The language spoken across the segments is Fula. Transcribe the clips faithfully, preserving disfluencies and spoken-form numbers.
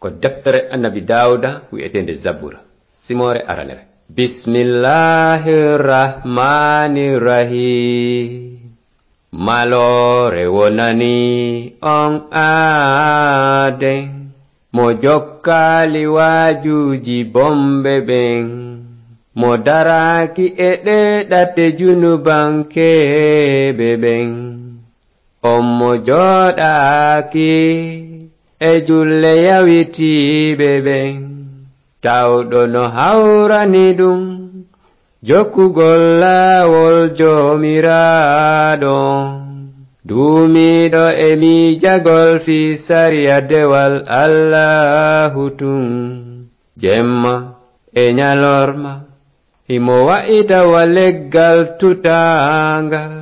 Ko deftere Annabi Daawuda wi'eteende Zabura, simoore aranere. Bismillahir Rahmanir Rahim. Maloore wonani on aaden, mo jokkaali waajuuji bomɓe ɓen, mo daraaki e ɗee ɗate junubankeeɓe ɓen. On mo jooɗaaki e julle yawitiiɓe ɓen, tawɗo no hawrani ɗum jokkugol laawol Joomiraaɗo, duumiiɗo e miijagol fii sariya dewal Allaahu tun, jemma e ñalorma. Himo wa'ita wa leggal tutaangal,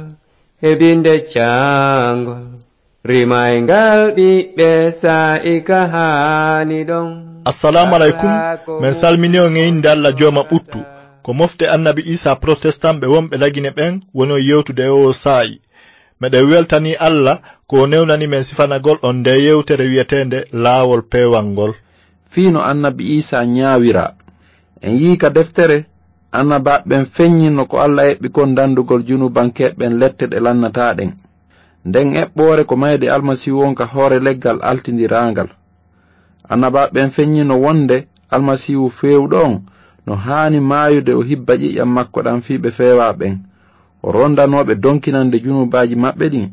heɓinde caangol, rimayngal ɓiɓɓe saa'i ka haani ɗon. Assalaamu aleykum. Men salmini on e innde Alla Jooma ɓuttu. Ko mofte Annabi Iisaa protestant ɓe wonɓe Lagine ɓen woni on yewtude e oo saa'i. Meɗen weltanii Alla ko o newnani men sifanagol on ndee yewtere wi'eteende Laawol Peewal ngol. Fii no Annabi Iisaa ñaawiraa. En yi'i ka deftere, annabaaɓe ɓen feññinno ko Alla eɓɓi kon dandugol junubankeeɓe ɓen lette ɗe lannataa ɗen. Nden eɓɓoore ko mayde Almasiihu on ka hoore leggal altindiraangal. Annabaaɓe ɓen feññinno wonde Almasiihu feewuɗo on no haani maayude, o hibba ƴiƴan makko ɗan fii ɓe feewaa ɓen, o rondanoo ɓe donkinande junubaaji maɓɓe ɗin,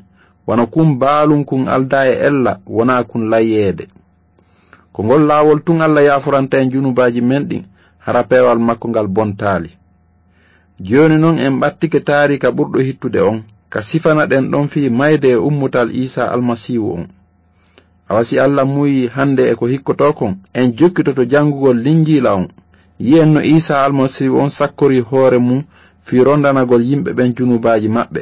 wano kun baalun kun aldaa e ella, wonaa kun layyeede. Ko ngol laawol tun Alla yaaforanta en junubaaji men ɗin, hara peewal makko ngal bontaali. Jooni non en ɓattike taariika ɓurɗo hittude on, ka sifanaɗen ɗon fii mayde e ummutal Iisaa Almasiihu on. Awa si Alla muuyii hande e ko hikkotoo kon, en jokkitoto janngugol Linjiila on. Yi'en no Iisaa Almasiihu on sakkorii hoore mun fii rondanagol yimɓe ɓen junubaaji maɓɓe.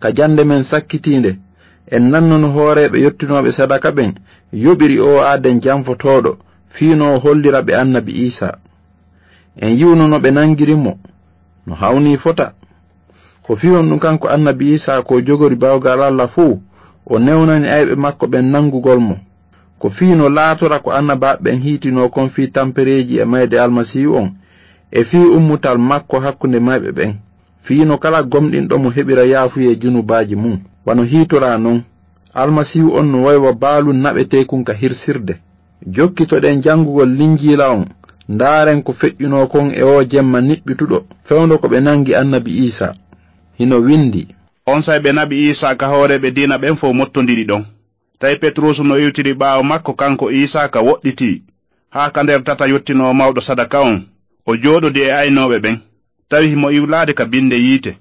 Ka jannde men sakkitiinde, en nanno no hooreeɓe yottinooɓe sadaka ɓen yoɓiri oo aaden janfotooɗo fii no o hollira ɓe Annabi Iisaa. En yi'uno no ɓe nangiri mo, no hawnii fota. Ko fii honɗun kanko Annabi Iisaa ko jogori bawgal Alla fow, o newnani ayɓe makko ɓen nangugol mo? Ko fii no laatora ko annabaaɓe ɓen hiitinoo kon fii tampereeji e mayde Almasiihu on, e fii ummutal makko hakkunde mayɓe ɓen, fii no kala gomɗinɗo mo heɓira yaafuyee junubaaji mun, wano hiitoraa non. Almasiihu on no way wa baalun naɓeteekun ka hirsirde. Jokkitoɗen janngugol Linjiila on, ndaaren ko feƴƴunoo kon e oo jemma niɓɓituɗo, fewndo ko ɓe nangi Annabi Iisaa. Hino windi: Onsay ɓe naɓi Iisaa ka hooreeɓe diina ɓen fow mottondiri ɗon. Tawi Petruusu no iwtiri ɓaawo makko kanko Iisaa ka woɗɗitii, haa ka nder tata yottinoowo mawɗo sadaka on, o jooɗodii e aynooɓe ɓen. Tawi himo iwlaade ka binde yiite.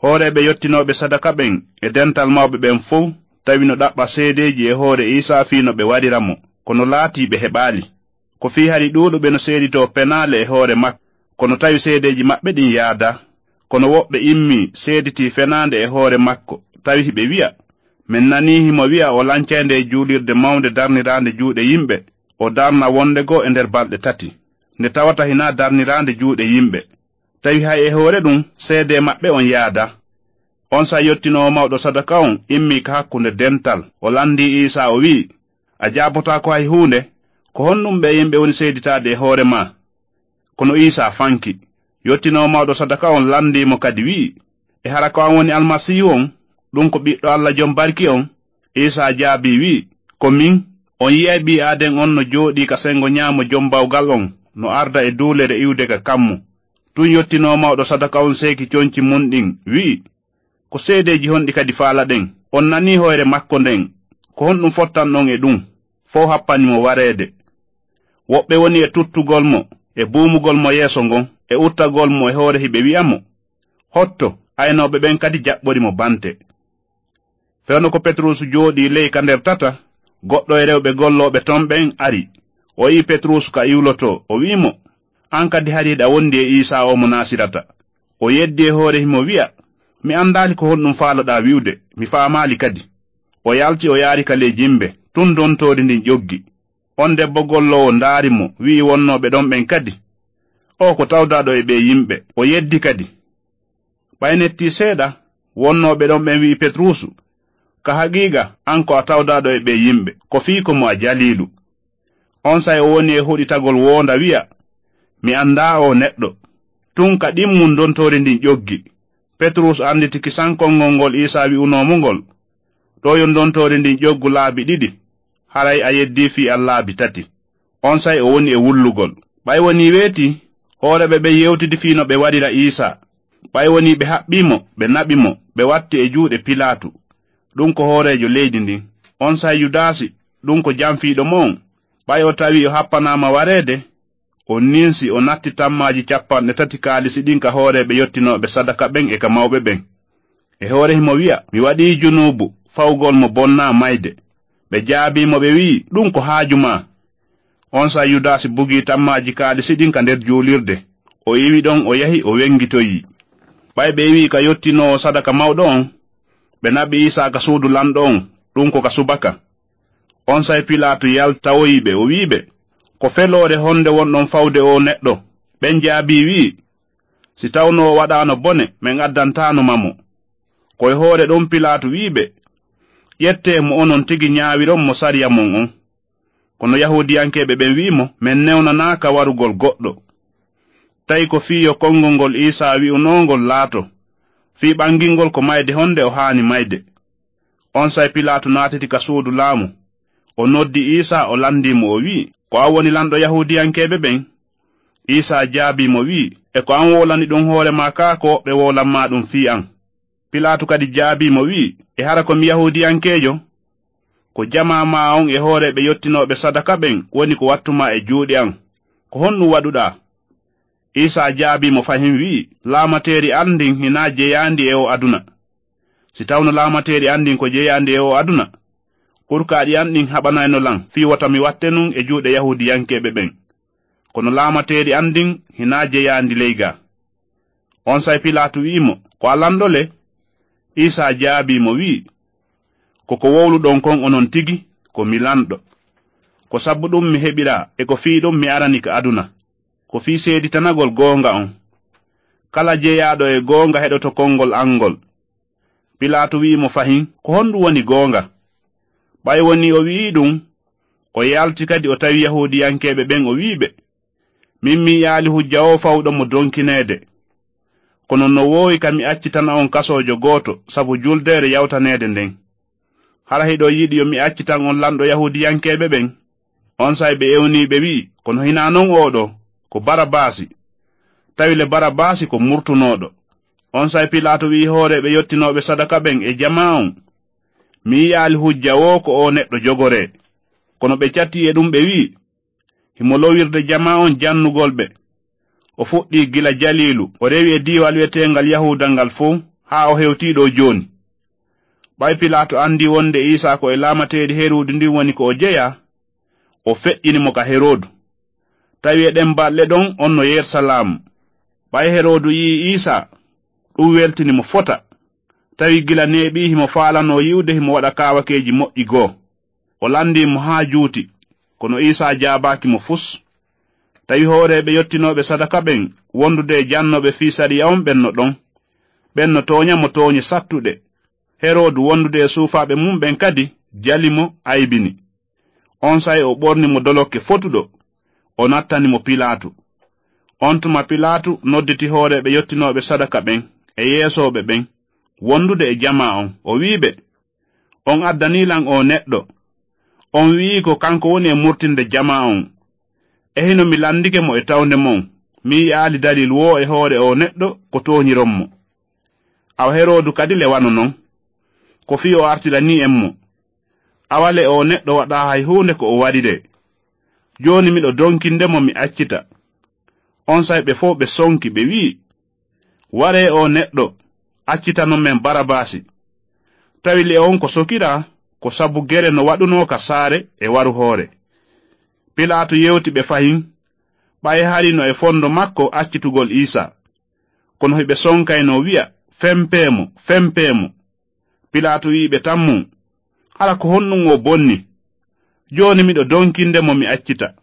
Hooreeɓe yottinooɓe sadaka ɓen e dental mawɓe ɓen fow tawi no ɗaɓɓa seedeeji e hoore Iisaa fii no ɓe warira mo, kono laatii ɓe heɓaali. Ko fii hari ɗuuɗuɓe no seeditoo penaale e hoore makko, kono tawi seedeeji maɓɓe ɗin yaadaa. Kono woɓɓe immii seeditii fenaande e hoore makko, tawi hiɓe wi'a: "Men nanii himo wi'a o lancay ndee juulirde mawnde darniraande juuɗe yimɓe, o darna wonde goo e nder balɗe tati, nde tawata hinaa darniraande juuɗe yimɓe." Tawi hay e hoore ɗun, seedee maɓɓe on yaadaa. Onsay yottinoowo mawɗo sadaka on immii ka hakkunde dental, o landii Iisaa, o wi'i: "A jaabotaako hay huunde, ko honɗun ɓee yimɓe woni seeditaade e hoore maa?" Kono Iisaa fanki. Yottinoowo mawɗo sadaka on landii mo kadi, wi'i: "E hara ko an woni Almasiihu on, ɗun ko Ɓiɗɗo Alla Jom Barki on?" Iisaa jaabii, wi'i: "Ko min. On yi'ay ɓii aaden on no jooɗii ka sengo ɲaamo Jom Bawgal on, no arda e duulere iwde ka kammu." Tun yottinoowo mawɗo sadaka on seeki conci mun ɗin, wi'i: "Ko seedeeji honɗi kadi faalaɗen? On nanii hoyre makko nden. Ko honɗun fottanɗon e ɗun? Fow happani mo wareede. Woɓɓe woni e tuttugol mo, e buumugol mo yeeso ngon, e uttagol mo e hoore hiɓe wi'a mo: 'Hotto!' Aynooɓe ɓen kadi jaɓɓori mo bante." Fewndo ko Petruusu jooɗii ley ka nder tata, goɗɗo e rewɓe gollooɓe ton ɓen ari. O yi'i Petruusu ka iwlotoo, o wi'i mo: "An kadi hari hiɗa wondi e Iisaa oo mo Naasirata." O yeddi e hoore himo wi'a: "Mi andaali ko honɗun faalaɗaa wi'ude, mi faamaali kadi." O yalti, o yaari ka ley jimbe, tun dontoori ndin ƴoggi. On debbo golloowo ndaari mo, wi'i wonnooɓe ɗon ɓen kadi: "Oo ko tawdaaɗo e ɓee yimɓe." O yeddi kadi. Ɓay nettii seeɗa, wonnooɓe ɗon ɓen wi'i Petruusu: "Ka haqiiqa, an ko a tawdaaɗo e ɓee yimɓe, ko fii ko mo a jaliiɗo." Onsay o woni e hoɗitagol woonda wi'a, "Mi anndaa oo neɗɗo." Tun ka ɗimmun ndontoori ndin ƴoggi. Petrus annditi kisan konngol ngol Iisaa wi'unoo mo ngol, "Ɗoo yo ndontoori ndin ƴoggu laabi ɗiɗi, haray a yeddii fii an laabi tati." Onsay o woni e wullugol. Ɓay wonii weetii, hooreeɓe ɓen yewtidi fii no ɓe waɗira Iisaa. Ɓay wonii ɓe haɓɓii mo, ɓe naɓi mo, ɓe watti e juuɗe Pilaatu, ɗun ko hooreejo leydi ndin. Onsay Yudaasi, ɗun ko janfiiɗo mo on, ɓay o tawii o happanaama wareede, o ninsi, o natti tammaaji cappanɗe tati kaalisi ɗin ka hooreeɓe yottinooɓe sadaka ɓen e ka mawɓe ɓen. E hoore himo wi'a, "Mi waɗii junuubu, fawgol mo bonnaa mayde." Ɓe jaabii mo, ɓe wi'i, "Ɗun ko haaju maa." Onsay Yudaasi bugii tammaaji kaalisi ɗin ka nder juulirde. O iwi ɗon, o yahi, o wengitoyii. Ɓay ɓe iwii ka yottinoowo sadaka mawɗo on, ɓe naɓi Iisaa ka suudu lanɗo on, ɗun ko ka subaka. Onsay Pilaatu yaltawoyi ɓe, o wi'i ɓe, "Ko feloore honde wonɗon fawde oo neɗɗo?" Ɓen jaabii, wi'i, "Si tawno o waɗaano bone, men addantaano ma mo." Ko e hoore ɗun Pilaatu wi'i ɓe, "Ƴettee mo onon tigi ɲaawiron mo sariya mon on." Kono Yahuudiyankeeɓe ɓen wi'i mo, "Men newnanaaka warugol goɗɗo. Tawi ko fii yo konngol ngol Iisaa wi'unoo ngol laato, fii ɓangingol ko mayde honde o haani mayde." Onsay Pilaatu naatiti ka suudu laamu. O noddi Iisaa, o landii mo, o wi'i, "Ko an woni lanɗo Yahuudiyankeeɓe ɓen?" Iisaa jaabii mo, wi'i, "E ko an wowlani ɗun hoore maa kaa ko woɓɓe wowlan maa ɗun fii an?" Pilaatu kadi jaabii mo, wi'i, "E hara ko mi Yahuudiyankeejo? Ko jamaa maa on e hooreeɓe yottinooɓe sadaka ɓen woni ko wattu maa e juuɗe an. Ko honɗun waɗuɗaa?" Iisaa jaabii mo fahin, wi'i, "Laamateeri an ndin hinaa jeyaandi e oo aduna. Si tawno laamateeri an ndin ko jeyaandi e oo aduna, kurkaaɗi an ɗin haɓanayno lan fii wota mi watte nun e juuɗe Yahuudiyankeeɓe ɓen. Kono laamateeri an ndin hinaa jeyaandi ley gaa." Onsay Pilaatu wi'i mo, "Ko a lanɗo le?" Iisaa jaabii mo, wi'i, "Ko ko wowluɗon kon onon tigi, ko mi lanɗo. Ko sabu ɗun mi heɓiraa, e ko fii ɗun mi arani ka aduna. Ko fii seeditanagol goonga on. Kala jeyaaɗo e goonga heɗoto konngol an ngol." Pilaatu wi'i mo fahin, "Ko honɗun woni goonga?" Ɓay wonii o wi'ii ɗun, o yalti kadi o tawi Yahuudiyankeeɓe ɓen, o wi'i ɓe, "Min mi yi'aali hujja oo fawuɗo mo donkineede. Kono no woowi ka mi accitana on kasoojo gooto sabu juldeere yawtaneede nden. Hara hiɗon yiɗi yo mi accitan on lanɗo Yahuudiyankeeɓe ɓen?" Onsay ɓe ewnii ɓe wi'i, "Kono hinaa non oo ɗoo, ko Barabaasi." Tawi le Barabaasi ko murtunooɗo. Onsay Pilaatu wi'i hooreeɓe yottinooɓe sadaka ɓen e jamaa on, "Mi yi'aali hujja woo ko oo neɗɗo jogoree." Kono ɓe catii e ɗun ɓe wi'i, "Himo lowirde jamaa on jannugol ɓe. O fuɗɗii gila Jaliilu, o rewi e diiwal wi'eteengal Yahuuda ngal fow, haa o hewtii ɗoo jooni." Ɓay Pilaatu andii wonde Iisaa ko e laamateeri Heroodu ndin woni ko o jeyaa, o feƴƴini mo ka Heroodu. Tawi e ɗen balɗe ɗon on no Yersalaamu. Ɓay Heroodu yi'ii Iisaa, ɗun weltini mo fota. Tawi gila neeɓii himo faalanoo yi'ude himo waɗa kaawakeeji moƴƴi goo. O landii mo haa juuti, kono Iisaa jaabaaki mo fus. Tawi hooreeɓe yottinooɓe sadaka ɓen wondude e jannooɓe fii sariya on ɓen no ɗon. Ɓen no tooɲa mo tooɲe sattuɗe. Heroodu wondude e suufaaɓe mun ɓen kadi jali mo, aybini. Onsay o ɓorni mo dolokke fotuɗo, o nattani mo Pilaatu. On tuma Pilaatu nodditi hooreeɓe yottinooɓe sadaka ɓen e yeesooɓe ɓen wondude e jamaa on, o wi'i ɓe, "On addanii lan oo neɗɗo. On wi'ii ko kanko woni e murtinde jamaa on. E hino mi landike mo e tawnde mon, mi yi'aali dalil woo e hoore oo neɗɗo ko tooɲiron mo. Awa Heroodu kadi le wano non. Ko fii o artiranii en mo. Awa le oo neɗɗo waɗaa hay huunde ko o wariree. Jooni miɗo donkinde mo mi accita." Onsay ɓe fow ɓe sonki, ɓe wi'i, "Waree oo neɗɗo, accitanon men Barabaasi." Tawi le on ko sokiraa, ko sabu gere no waɗunoo ka saare e waru hoore. Pilaatu yewti ɓe fahin, ɓay hari no e fondo makko accitugol Iisaa. Kono hiɓe sonkaynoo wi'a, "Fempee mo, fempee mo." Pilaatu wi'i ɓe tammun, "Hara ko honɗun o bonni? Jooni miɗo donkinde mo mi accita."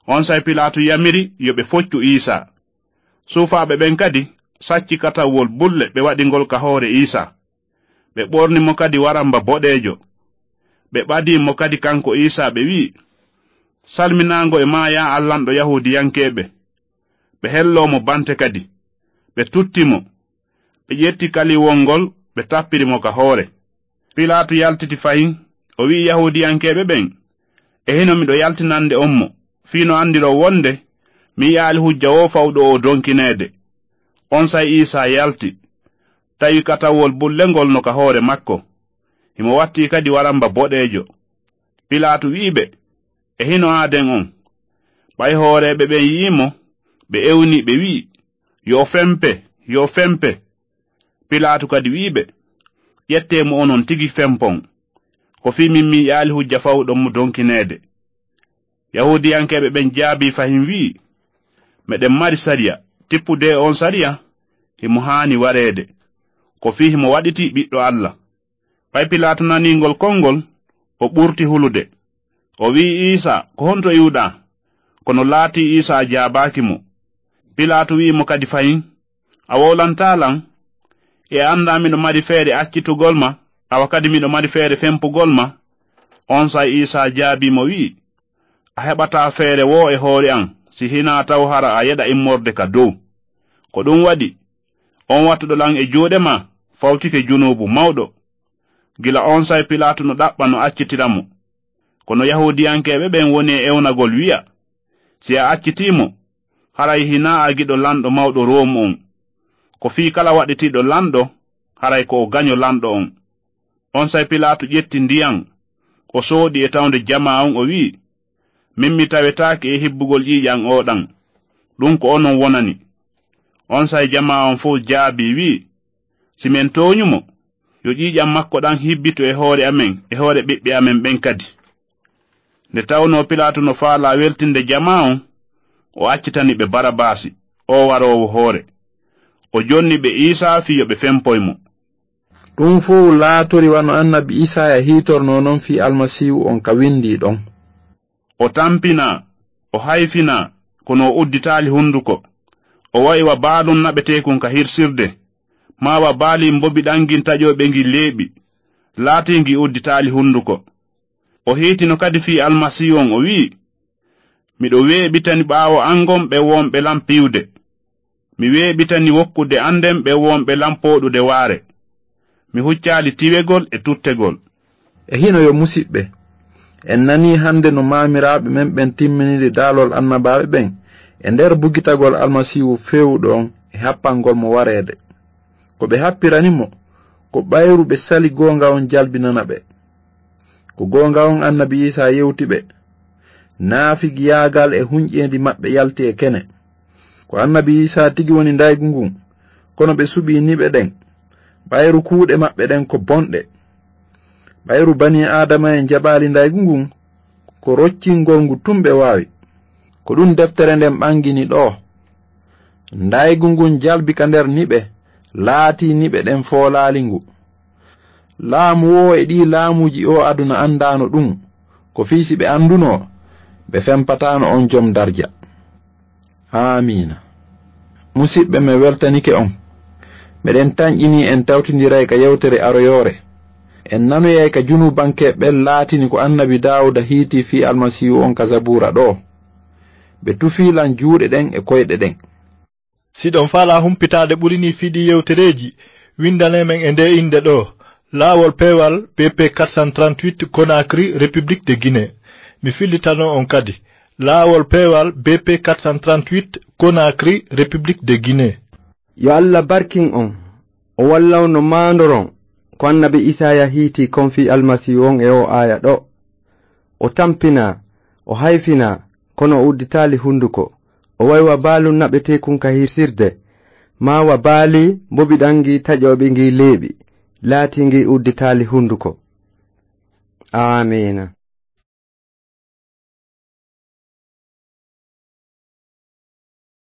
Onsay Pilaatu yamiri yo ɓe foccu Iisaa. Suufaaɓe ɓen kadi sacci katawwol bulle ɓe waɗi ngol ka hoore Iisaa. Ɓe ɓorni mo kadi waramba boɗeejo. Ɓe ɓadii mo kadi kanko Iisaa, ɓe wi'i, Salminaango e maa, yaa allanɗo Yahuudiyankeeɓe. Ɓe helloo mo bante kadi. Ɓe tutti mo. Ɓe ƴetti kaliwol ngol, ɓe tappiri mo ka hoore. Pilaatu yaltiti fahin, o wi'i Yahuudiyankeeɓe ɓen, "E hino miɗo yaltinande on mo, fii no andiroo wonde mi yi'aali hujja woo fawɗo oo donkineede." Onsay Iisaa yalti, tawi katawol bulle ngol no ka hoore makko. Himo wattii kadi waramba boɗeejo. Pilaatu wi'i ɓe, "E hino aaden on?" Ɓay hooreeɓe ɓen yi'ii mo, ɓe ewnii, ɓe wi'i, "Yo o fempe, yo o fempe!" Pilaatu kadi wi'i ɓe, "Ƴettee mo onon tigi fempon. Ko fii min mi yi'aali hujja fawuɗo mo donkineede." Yahuudiyankeeɓe ɓen jaabii fahin wi'i, "Meɗen mari sariya, tippude e on sariya, himo haani wareede. Ko fii himo waɗitii Ɓiɗɗo Alla." Ɓay Pilaatu nanii ngol konngol, o ɓurti hulude. O wi'i Iisaa, "Ko honto iwɗaa?" Kono laatii Iisaa jaabaaki mo. Pilaatu wi'i mo kadi fahin, "A wowlantaa lan? E a anndaa miɗo mari feere accitugol ma, awa kadi miɗo mari feere fempugol ma?" Onsay Iisaa jaabii mo wi'i, "A heɓataa feere woo e hoore an, si hinaa taw hara a yeɗa immorde ka dow." Ko ɗun waɗi, on wattuɗo lan e juuɗe maa fawtike junuubu mawɗo. Gila onsay Pilaatu no ɗaɓɓa no accitira mo. Kono Yahuudiyankeeɓe ɓen woni e ewnagol wi'a, "Si a accitii mo, haray hinaa a giɗo lanɗo mawɗo Roomu on. Ko fii kala waɗitiiɗo lanɗo, haray ko o gaño lanɗo on." Onsay Pilaatu ƴetti ndiyan, o sooɗi e tawnde jamaa on, o wi'i, "Min mi tawetaake e hibbugol ƴiiƴan oo ɗan. Ɗun ko onon wonani." Onsay jamaa on fow jaabii, wi'i, "Si men tooñu mo, yo ƴiiƴan makko ɗan hibbitu e hoore amen, e hoore ɓiɓɓe amen ɓen kadi." Nde tawnoo Pilaatu no faalaa weltinde jamaa on, o accitani ɓe Barabaasi, oo waroowo hoore. O jonni ɓe Iisaa fii yo ɓe fempoy mo. Ɗun fow laatori wano annabi Iisaaya hiitornoo non fii Almasiihu on ka windii ɗon. "O tampinaa, o hayfinaa, kono o udditaali hunduko. O wa'i wa baalun naɓeteekun ka hirsirde, maa wa baali mbobi ɗan ngin taƴooɓe ngi leeɓi, laatii ngi udditaali hunduko." O hiitino kadi fii Almasiihu on, o wi'i, "Miɗo weeɓitani ɓaawo an ngon ɓe wonɓe lan piwde. Mi weeɓitani wokkude an nden ɓe wonɓe lan pooɗude waare. Mi huccaali tiwegol e tuttegol." E hino yo musiɓɓe, en nanii hande no maamiraaɓe men ɓen timminiri daalol annabaaɓe ɓen e nder bugitagol Almasiihu feewuɗo on e happangol mo wareede. Ko ɓe happirani mo, ko ɓayru ɓe sali goonga on jalbinana ɓe. Ko goonga on annabi Iisaa yewti ɓe, naafigiyaagal e hunƴeendi maɓɓe yalti e kene. Ko annabi Iisaa tigi woni ndaygu ngun, kono ɓe suɓii niɓe ɗen, ɓayru kuuɗe maɓɓe ɗen ko bonɗe. Ɓayru banii Aadama en jaɓaali ndaygu ngun, ko roccingol ngu tun ɓe waawi. Ko ɗun deftere nden ɓangini ɗoo. Ndaygu ngun jalbi ka nder niɓe, laatii niɓe ɗen foolaali ngu. Laamu woo e ɗii laamuuji oo aduna anndaano ɗun, ko fii si ɓe anndunoo, ɓe fempataano on jom darja. Aamiina. Musiɓɓe, mi weltanike on. Meɗen tanƴinii en tawtindiray ka yewtere aroyoore. En nanoyay ka junuubankeeɓe ɓen laatini ko annabi Daawuda hiitii fii Almasiihu on ka Zabuura ɗoo. Ɓe tufii lan juuɗe ɗen e koyɗe ɗen. Si ɗon faalaa humpitaade ɓuri nii fii ɗii yewtereeji, windanee men e ndee innde ɗoo, Laawol Peewal B P quatre cent trente-huit, Conakry, République de Guinée. Mi fillitano on kadi, Laawol Peewal B P quatre cent trente-huit, Conakry, République de Guinée. Yo Alla barkin on, o wallawno maandoron ko annabi Isaaya hiitii kon fii Almasiihu on e oo aaya ɗoo. O tampinaa, o hayfinaa, kono o udditaali hunduko. O wa'i wa baalu naɓeteekun ka hirsirde, maa wa baali mbobiɗan ngi taƴooɓe ngi leeɓi, laatii ngi udditaali hunduko. Aamiina.